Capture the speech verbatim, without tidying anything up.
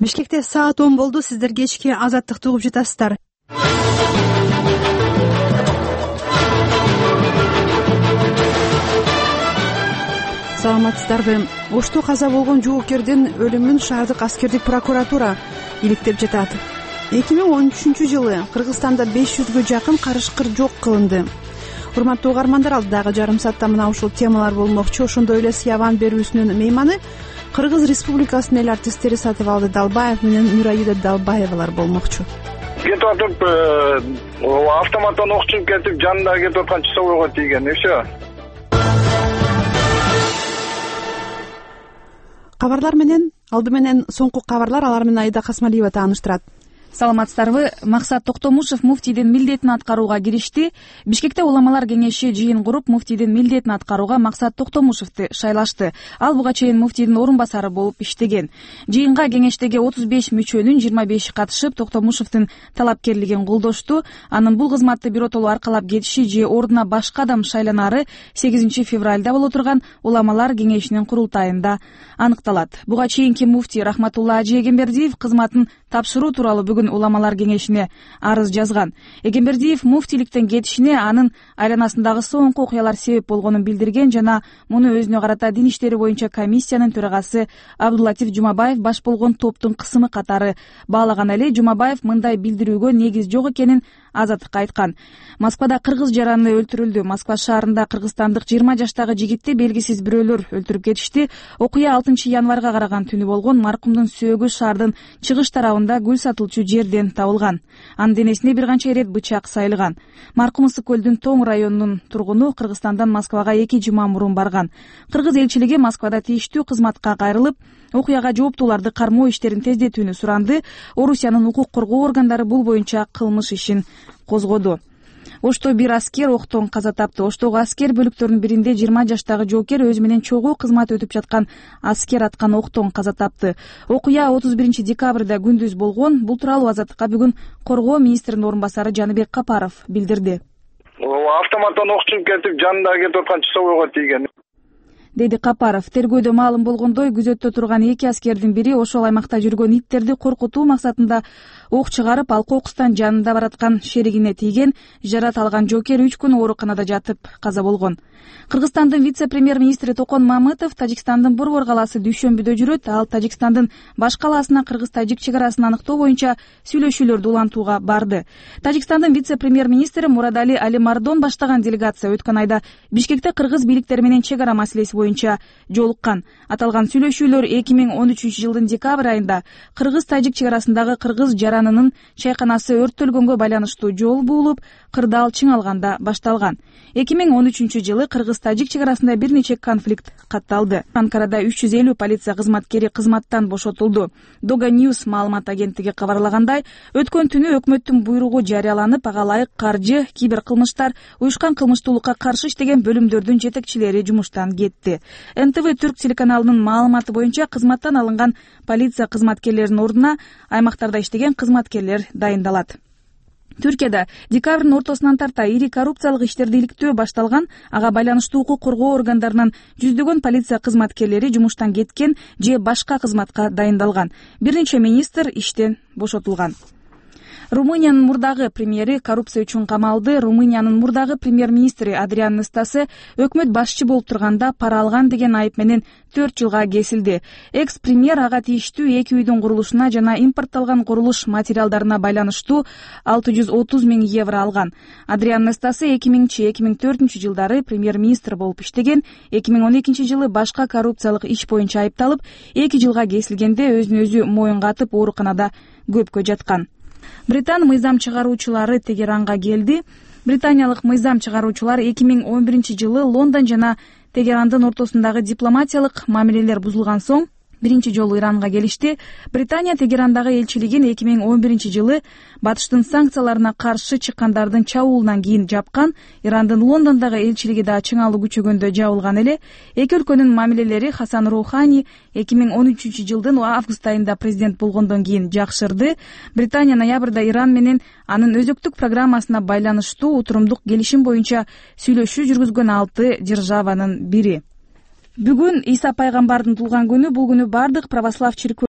Бишкекте саат он болду. Сиздер кечки Азаттыкты угуп жатасыздар. Саламатсыздарбы? Ошто каза болгон жоокердин өлүмүн шаардык аскердик прокуратура иликтеп жатат. эки миң он үчүнчү жылы Кыргызстанда беш жүзгө жакын карышкыр жок кылынды. Урматтуу угармандар, алдыдагы жарым саатта мына ушул темалар болмокчу. Ошондой эле Сияван берүүсүнүн мейманы Кыргыз Республикасынын эл артисттери Сатыбалды Далбаев менен Нурайда Далбаевалар болмокчу. Кетип атып, автоматтан ок чыгып кетип, жанында кетип аткан часовойго тийген, и все. Кабарлар менен алды менен соңку кабарлар, алар менен Айда Касмалиева тааныштырат. Саламатсыздарбы? Максат Токтомушев муфтийдин милдетин аткарууга киришти. Бишкекте уламалар кеңеши жыйын куруп, муфтийдин милдетин аткарууга Максат Токтомушевди шайлашты. Ал буга чейин муфтийдин орун басары болуп иштеген. Жыйынга кеңештеги отуз беш мүчөнүн жыйырма беши катышып, Токтомушевдин талапкерлигин колдошту. Анын бул кызматты биротоло аркалап кетиши же ордуна башка адам шайланары сегизинчи февралда боло турган уламалар кеңешинин курултайында аныкталат. Буга чейинки муфтий Рахматулла Ажи Эгембердиев кызматын тапшыруу тууралуу бүгүн уламалар кеңешине арыз жазган. Эгембердиев муфтийликтен кетишине анын айланасындагы соңку окуялар себеп болгонун билдирген жана муну өзүнө карата дин иштери боюнча комиссиянын төрагасы Абдуллатиф Жумабаев баш болгон топтун кысымы катары баалаган эле. Жумабаев мындай билдирүүгө негиз жок экенин Азаттыкка айткан. Москвада кыргыз жараны өлтүрүлдү. Москва шаарында кыргызстандык жыйырма жаштагы жигитти белгисиз бирөөлөр өлтүрүп кетишти. Окуя алтынчы январга караган түнү болгон. Маркумдун сөөгү шаардын чыгыш тарабында гүл сатылчу жерден табылган. Анын денесине бир канча ирет бычак сайылган. Маркум Ысык көлдүн Тоң районунун тургуну Кыргызстандан Москвага эки жума мурун барган. Кыргыз элчилиги Москвада тийиштүү кызматка кайрылып, окуяга жооптууларды кармоо иштерин тездетүүнү суранды. Орусиянын укук коргоо органдары бул боюнча кылмыш ишин козгоду. Ошто бир аскер октон каза тапты. Оштогу аскер бөлүктөрүнүн биринде жыйырма жаштагы жоокер өзү менен чогуу кызмат өтүп жаткан аскер аткан октон каза тапты. Окуя отуз биринчи декабрда күндүз болгон. Бул тууралуу Азаттыкка бүгүн коргоо министринин орун басары Жаныбек Капаров билдирди. Автоматтан ок чыгып кетип, жанында кетип аткан часовойго тийген, деди Капаров. Тергөөдө маалым болгондой, күзөттө турган эки аскердин бири ошол аймакта жүргөн иттерди коркутуу максатында ок чыгарып, ал кокустан жанында бараткан шеригине тийген. Жарат алган жоокер үч күн ооруканада жатып каза болгон. Кыргызстандын вице-премьер-министри Токон Мамытов Тажикстандын Борбор калаасы Дүйшөмбүдө жүрөт. Ал Тажикстандын баш калаасына кыргыз-тажик чек арасын аныктоо боюнча сүйлөшүүлөрдү улантууга барды. Тажикстандын вице-премьер-министри Мурадали Алимардон баштаган делегация өткөн айда Бишкекте кыргыз бийликтери менен чек ара маселеси боюнча жолуккан. Аталган сүйлөшүүлөр эки миң он үчүнчү жылдын декабрь айында кыргыз-тажик чек арасындагы кыргыз жаранынын чайканасы өрттөлгөнгө байланыштуу жол буулуп, кырдаал чың алганда башталган. эки миң он үчүнчү жылы кыргыз-тажик чек арасында бир нече конфликт катталды. Анкарада үч жүз элүү полиция кызматкери кызматтан бошотулду. Дога News маалымат агенттиги кабарлагандай, өткөн түнү өкмөттүн буйругу жарыяланып, ага ылайык каржы, кибер кылмыштар, уюшкан кылмыштуулукка каршы иштеген бөлүмдөрдүн жетекчилери жумуштан кетти. эн тэ вэ Түрк телеканалынын маалыматы боюнча кызматтан алынган полиция кызматкерлеринин ордуна аймактарда иштеген кызматкерлер дайындалат. Түркияда декабрдын ортосунан тарта ири коррупциялык иштерди иликтөө башталган. Ага байланыштуу укук коргоо органдарынан жүздөгөн полиция кызматкерлери жумуштан кеткен же башка кызматка дайындалган. Бир нече министр иштен бошотулган. Румыниянын мурдагы премьери коррупция үчүн камалды. Румыниянын мурдагы премьер-министри Адриан Настасе өкмөт башчы болуп турганда пара алган деген айып менен төрт жылга кесилди. Экс-премьер ага тийиштүү эки үйдүн курулушуна жана импортталган курулуш материалдарына байланыштуу алты жүз отуз миң евро алган. Адриан Настасе эки миңинчи эки миң төртүнчү жылдары премьер-министр болуп иштеген. эки миң он экинчи жылы башка коррупциялык иш боюнча айыпталып, эки жылга кесилгенде өзүн өзү моюнга атып ооруканада көпкө жаткан. Британ мыйзам чыгаруучулары Тегеранга келди. Британиялык мыйзам чыгаруучулар эки миң он биринчи жылы Лондон жана Тегерандын ортосундагы дипломатиялык мамилелер бузулган соң биринчи жолу Иранга келишти. Британия Тегерандагы элчилигин эки миң он биринчи жылы батыштын санкцияларына каршы чыккандардын чабуулунан кийин жапкан. Ирандын Лондондогу элчилиги да чыңалуу күчөгөндө жабылган эле. Эки өлкөнүн мамилелери Хасан Роухани эки миң он үчүнчү жылдын август айында президент болгондон кийин жакшырды. Британия ноябрда Иран менен анын өзөктүк программасына байланыштуу утурумдук келишим боюнча сүйлөшүү жүргүзгөн алты державанын бири. Бүгүн Иса пайгамбардын туулган күнү. Бул күнү бардык православ чиркөө